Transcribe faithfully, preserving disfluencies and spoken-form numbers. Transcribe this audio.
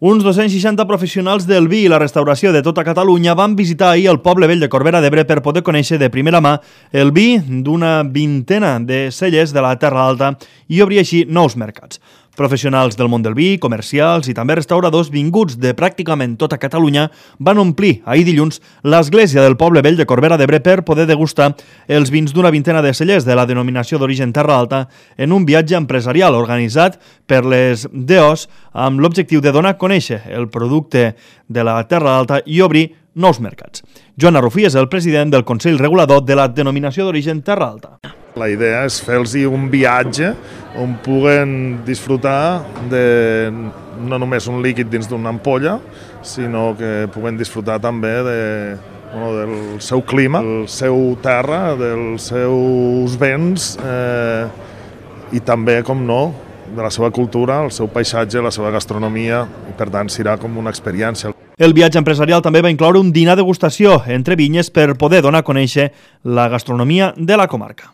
Uns dos-cents seixanta professionals del vi i la restauració de tota Catalunya van visitar ahir el poble vell de Corbera d'Ebre per poder conèixer de primera mà el vi d'una vintena de cellers de la Terra Alta i obrir així nous mercats. Professionals del món del vi, comercials i també restauradors vinguts de pràcticament tota Catalunya van omplir ahir dilluns l'església del poble vell de Corbera d'Ebre per poder degustar els vins d'una vintena de cellers de la denominació d'origen Terra Alta en un viatge empresarial organitzat per les D O S amb l'objectiu de donar a conèixer el producte de la Terra Alta i obrir nous mercats. Joan Arrufí és el president del Consell Regulador de la denominació d'origen Terra Alta. La idea és fer-los un viatge on puguen disfrutar de no només un líquid dins d'una ampolla, sinó que puguen disfrutar també de, bueno, del seu clima, del seu terra, dels seus béns eh, i també, com no, de la seva cultura, el seu paisatge, la seva gastronomia, i per tant serà com una experiència. El viatge empresarial també va incloure un dinar degustació entre vinyes per poder donar a conèixer la gastronomia de la comarca.